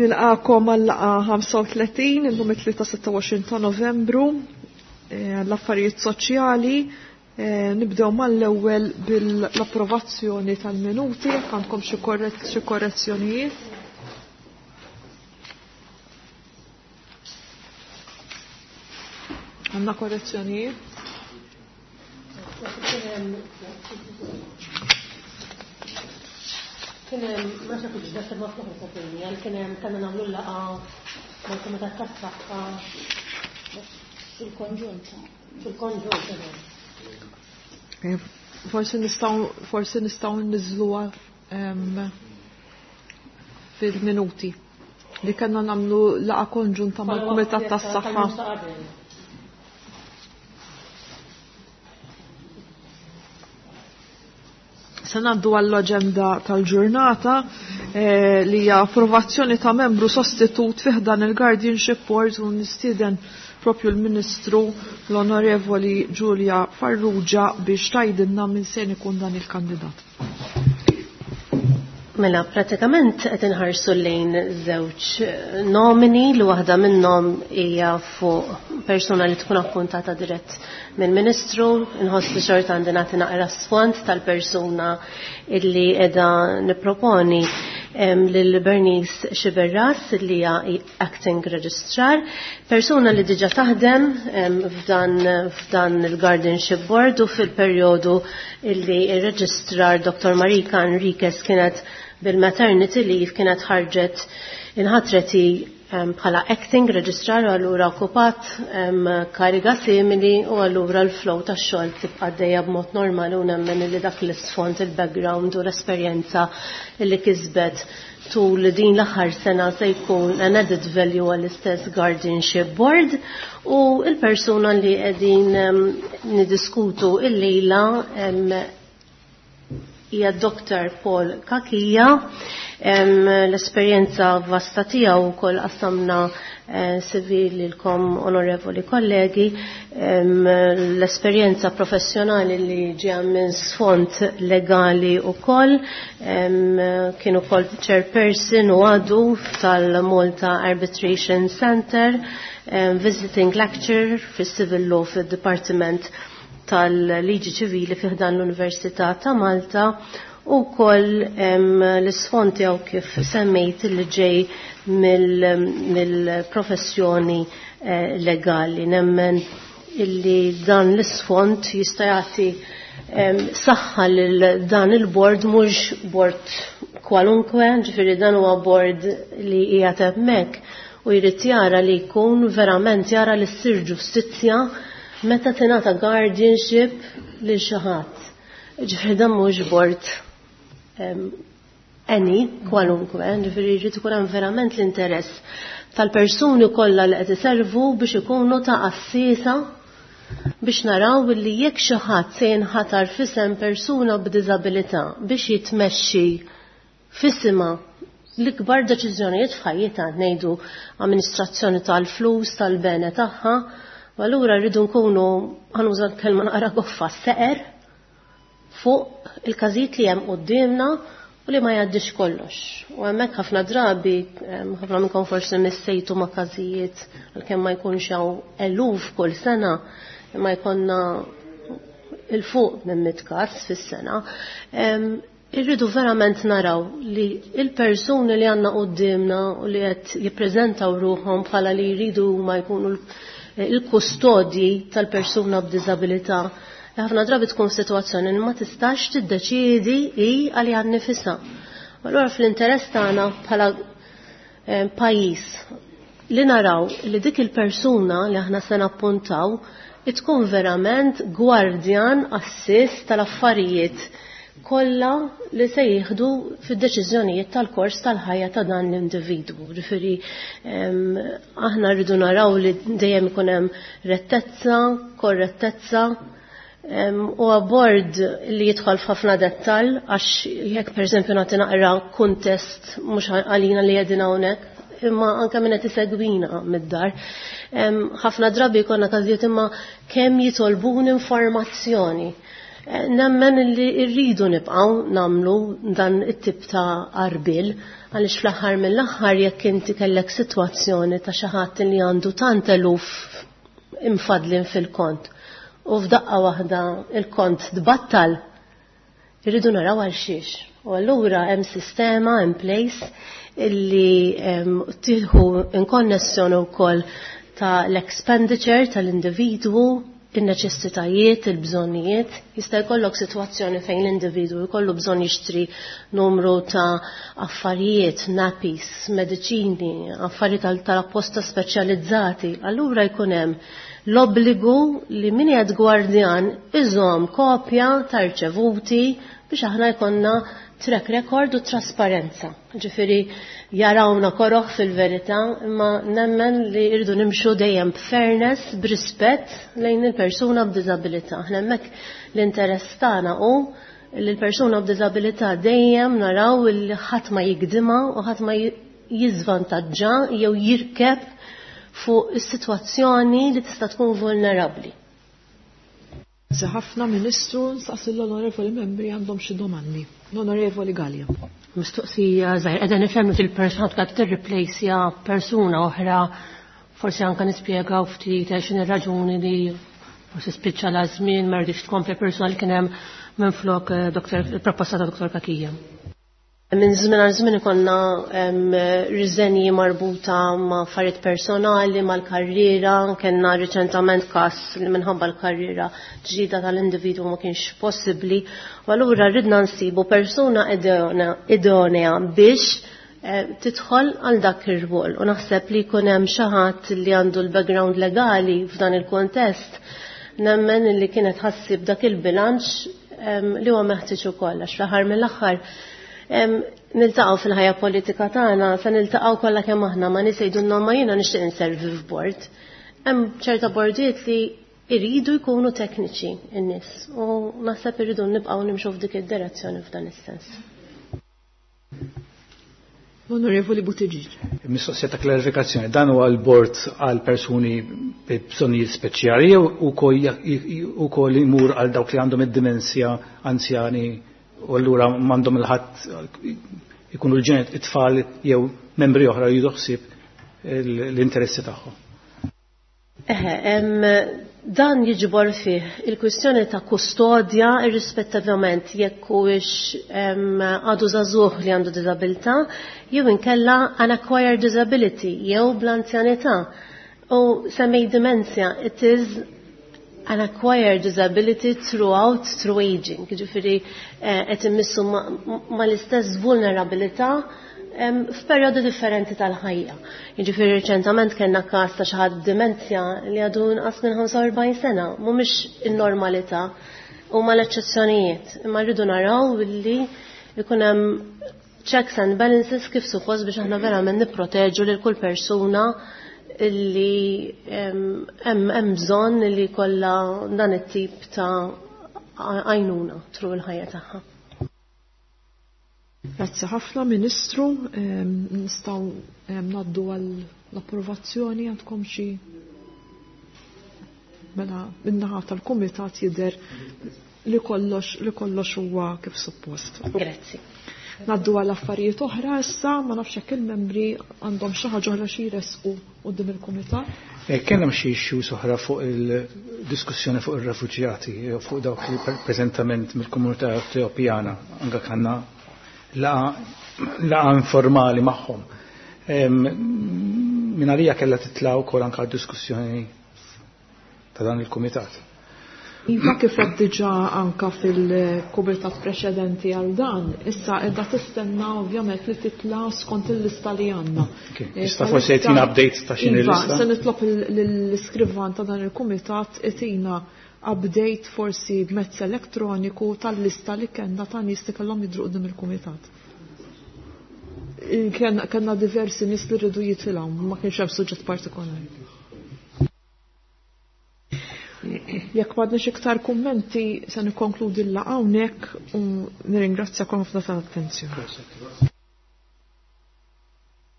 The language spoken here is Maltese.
Nilqakom għal-laqa 35, illum it-3 26 ta' Novembru, l-affarijiet soċjali. Nibdew mal-ewwel bil-approvazzjoni tal-minuti, jekk għandkom xi korrezzjonijiet. Għandna korrezzjonijiet? Kien hemm ma nafx hekk ġda ma fl-oħra ta' dinja, kien hemm kellna nagħmlu laqgħa mal-Kumitat tas-Saħħa fil-konġunt. Fil-konġunt. Forsi nistgħu forsi nistgħu nniżluha fil-minuti li kellna nagħmlu laqgħa konġunta mal-Kumitat tas-Saħħa. Se ngħaddu għall-aġenda tal-ġurnata li hija approvazzjoni ta' membru sostitut fih dan il-Guardianship Board u nistieden propju l-Ministru l-Onorevoli Giulia Farrugia biex tgħidilna minn se ikun dan il-kandidat. Mela, pratikament qed inħarsu lejn żewġ nomini li waħda minnhom hija fuq persuna li tkun appuntata dirett mill-Ministru, inħoss li xorta għandi nagħti naqra sfond tal-persuna illi qiegħda nipproponi lil Bernice Sciberras li hija acting registrar, persuna li diġà taħdem f'dan il-Guardianship Board u fil-perjodu illi ir-registrar Dr. Marika Enriquez kienet bil-maternity leave kienet ħarġet inħatreti bħala acting registrar u allura okkupat kariga simili u allura l-flow tax-xogħol tibqa' għaddejja b'mod normali u nemmen li dak l-isfond, il-background u l-esperjenza li kisbet tul din l-aħħar sena se jkun an added value għall-istess Guardianship Board u l-persuna li qegħdin niddiskutu illejla hija Dr. Paul Cachia. L-esperjenza vasta tiegħu wkoll qassamna CV lilkom onorevoli kollegi, l-esperjenza professjonali li ġeja minn sfond legali wkoll, kien ukoll chairperson u għadu tal-Malta Arbitration Center, visiting lecturer fis-Civil Law fid-Departiment tal-Liġi Ċivili fi ħdan l-Università ta' Malta u wkoll l-isfond tiegħu kif semmejt li ġej mill-professjoni legali. Nemmen illi dan l-isfond jista' jagħti saħħa lil dan il-bord, mhux bord kwalunkwe, ġifieri dan huwa bord li qiegħed hemmhekk u jrid jara li jkun verament jara li ssir ġustizzja meta tingħata guardianship lil xi ħadd. Ġifieri dan mhux bord any kwalunkwe, ġifieri jrid ikun hemm verament l-interess tal-persuni kollha li qed iservu biex ikunu ta' assisa biex naraw li jekk xi ħadd se jinħatar f'isem persuna b'diżabilità biex jitmexxi f'isimha l-ikbar deċiżjonijiet f'ħajjitha, ngħidu amministrazzjoni tal-flus, tal-bene tagħha, u allura rridu nkunu, ħanuża l-kelma naqra goffa, seqer fuq il-każijiet li hemm quddiemna u li ma jgħaddix kollox. U hemmhekk ħafna drabi, ħafna minnkom forsi missejtu ma' każijiet għalkemm ma jkunx hawn eluf kull sena, imma jkollna il-fuq minn 100 każ fis-sena. Irridu verament naraw li il-persuni li għandna quddiemna u li qed jippreżentaw ruħhom bħala li jridu ma jkunu il-kustodji tal-persuna b'diżabilità, ħafna drabi tkun f'sitwazzjoni li ma tistax tiddeċiedi hi għaliha nnifisha. Allura fl-interess tagħna bħala pajjiż li naraw li dik il-persuna li aħna se nappuntaw tkun verament gwardjan assist tal-affarijiet kollha li se jieħdu fid-deċiżjonijiet tal-kors tal-ħajja ta' dan l-individwu. Ġifieri aħna rridu naraw li dejjem ikun hemm rettezza, korrettezza, u bord li jidħol f'ħafna dettall, għax jekk pereżempju nagħti naqra kuntest mhux għalina li qegħdin hawnhekk, imma anke min qed isegwina mid-dar. Ħafna drabi jkollna każijiet imma kemm jitolbun informazzjoni. Nemmen li rridu nibqgħu nagħmlu dan it-tip ta' għarbiel għaliex fl-aħħar mill-aħħar jekk inti kellek sitwazzjoni ta' xi ħadd li għandu tant eluf imfadlin fil-kont u f'daqqa waħda il-kont tbattal, irridu naraw għal xiex. U allura hemm sistema in place illi tieħu in konnessjoni wkoll ta' l-expenditure tal-individwu, in-neċessitajiet, il-bżonnijiet. Jista' jkollok sitwazzjoni fejn l-individwu jkollu bżonn jixtri numru ta' affarijiet, nappies, mediċini, affarijiet tal-apposta speċjalizzati. Allura jkun hemm l-obbligu li min qiegħed gwardjan iżomm kopja ta' rċevuti biex aħna jkollna track record u trasparenza. Ġifieri jarawna koroħ fil-verità, imma nemmen li rridu nimxu dejjem b'fairness, b'rispett lejn il-persuna b'diżabilità. Aħna hemmhekk l-interess tagħna hu li l-persuna b'diżabilità dejjem naraw li ħadd ma jigdimha u ħadd ma jiżvantaġġa jew jirkeb fuq is-sitwazzjoni li tista' tkun vulnerabbli. Grazzi ħafna Ministru, nsaqsi l-onorevoli membri għandhom xi domandi. L-Onorevoli Gallia. Mistoqsija żgħir, qiegħda nifhem li il-persuna tkun tirreplejsja persuna oħra, forsi anke nispjegaw ftit x'inhi ir-raġuni li forsi spiċċa la żmien ma rridx tkompli persuna li kien hemm minflok il-proposta ta' Dr. Kakija. Minn żmien għal żmien ikollna riżenji marbuta ma' affarijiet personali, mal-karriera, kellna riċentament każ li minħabba l-karriera ġdida tal-individwu ma kienx possibbli. U allura ridna nsibu persuna idonea biex tidħol għal dak ir-rwol. U naħseb li jkun hemm xi ħadd li għandu l-background legali f'dan il-kontest, nemmen li kienet ħassib dak il-bilanċ li huwa meħtieġ ukoll għax fl-aħħar mill-aħħar niltaqgħu fil-ħajja politika tagħna, se niltaqgħu kollha kemm aħna ma nies jgħidulna ma jiena nixtieq inservi f'bord. Hemm ċerta bordijiet li jridu jkunu tekniċi n-nies u naħseb irridu nibqgħu nimxu f'dik id-direzzjoni f'dan is-sens. Onorevoli Buttigieg. Mistoqsija ta' klarifikazzjoni, dan huwa l-bord għal persuni bi bżonnijiet speċjali jew ukoll imur għal dawk li għandhom id-dimensja anzjani u allura m'għandhom il-ħadd ikunu l-ġenet it-tfal jew membri oħra li jieħdu ħsieb l-interessi tagħhom. Dan jiġbor fih il-kwistjoni ta' kustodja irrispettivament jekk huwiex għadu żagħżugħ li għandu diżabilità jew inkella an acquired disability jew bl-anzjanità. U semmej dimensja, it is an acquired disability throughout through aging. Ġifieri qed immissu mal-istess vulnerabilità f'perjodi differenti tal-ħajja. Jiġifieri riċentament kellna każ ta' xi ħadd b'dimenzja li għadu inqas minn 45 sena, mhumiex in-normalità, huma l-eċċezzjonijiet. Imma rridu naraw li jkun hemm checks and balances kif suppost biex aħna verament nipproteġu lil kull persuna li hemm bżonn li jkollha dan it-tip ta' għajnuna tru l-ħajja tagħha. Grazzi ħafna Ministru, nistgħu ngħaddu għall-approvazzjoni għandkom xi mela min-naħa tal-kumitat jidher li kollox huwa kif suppost. Grazzi. Ngħaddu għal affarijiet oħra issa, ma nafx hekk il-membri għandhom xi ħaġa oħra xi jressqu quddiem il-kumitat. Kien hemm xi issues oħra fuq il-diskussjoni fuq ir-refuġjati, fuq dawk li preżentament mill-komunità Etjopjana anke kellna laqa informali magħhom. Min għalija kellha titla' wkoll anke diskussjoni ta' dan il-kumitat. Iva kif qed diġà anka fil-kumitat preċedenti għal dan, issa qiegħda tistenna ovvjament li titla' skont il-lista li għandna. Issa forsi jtina update ta' x'inhi Iva, l-lista. se nitlob lill-iskrivan ta' dan il-kumitat itina update forsi b'mezz elettroniku tal-lista li kellna ta' nies li kellhom jidhru quddiem il-kumitat. Kellna diversi nies li rridu jitilgħu, ma kienx hemm suġġett partikolari. Jekk m'għandniex iktar kummenti se nikkonkludi l-laqgħa hawnhekk u nirringrazzjakom ħafna tal-attenzjoni.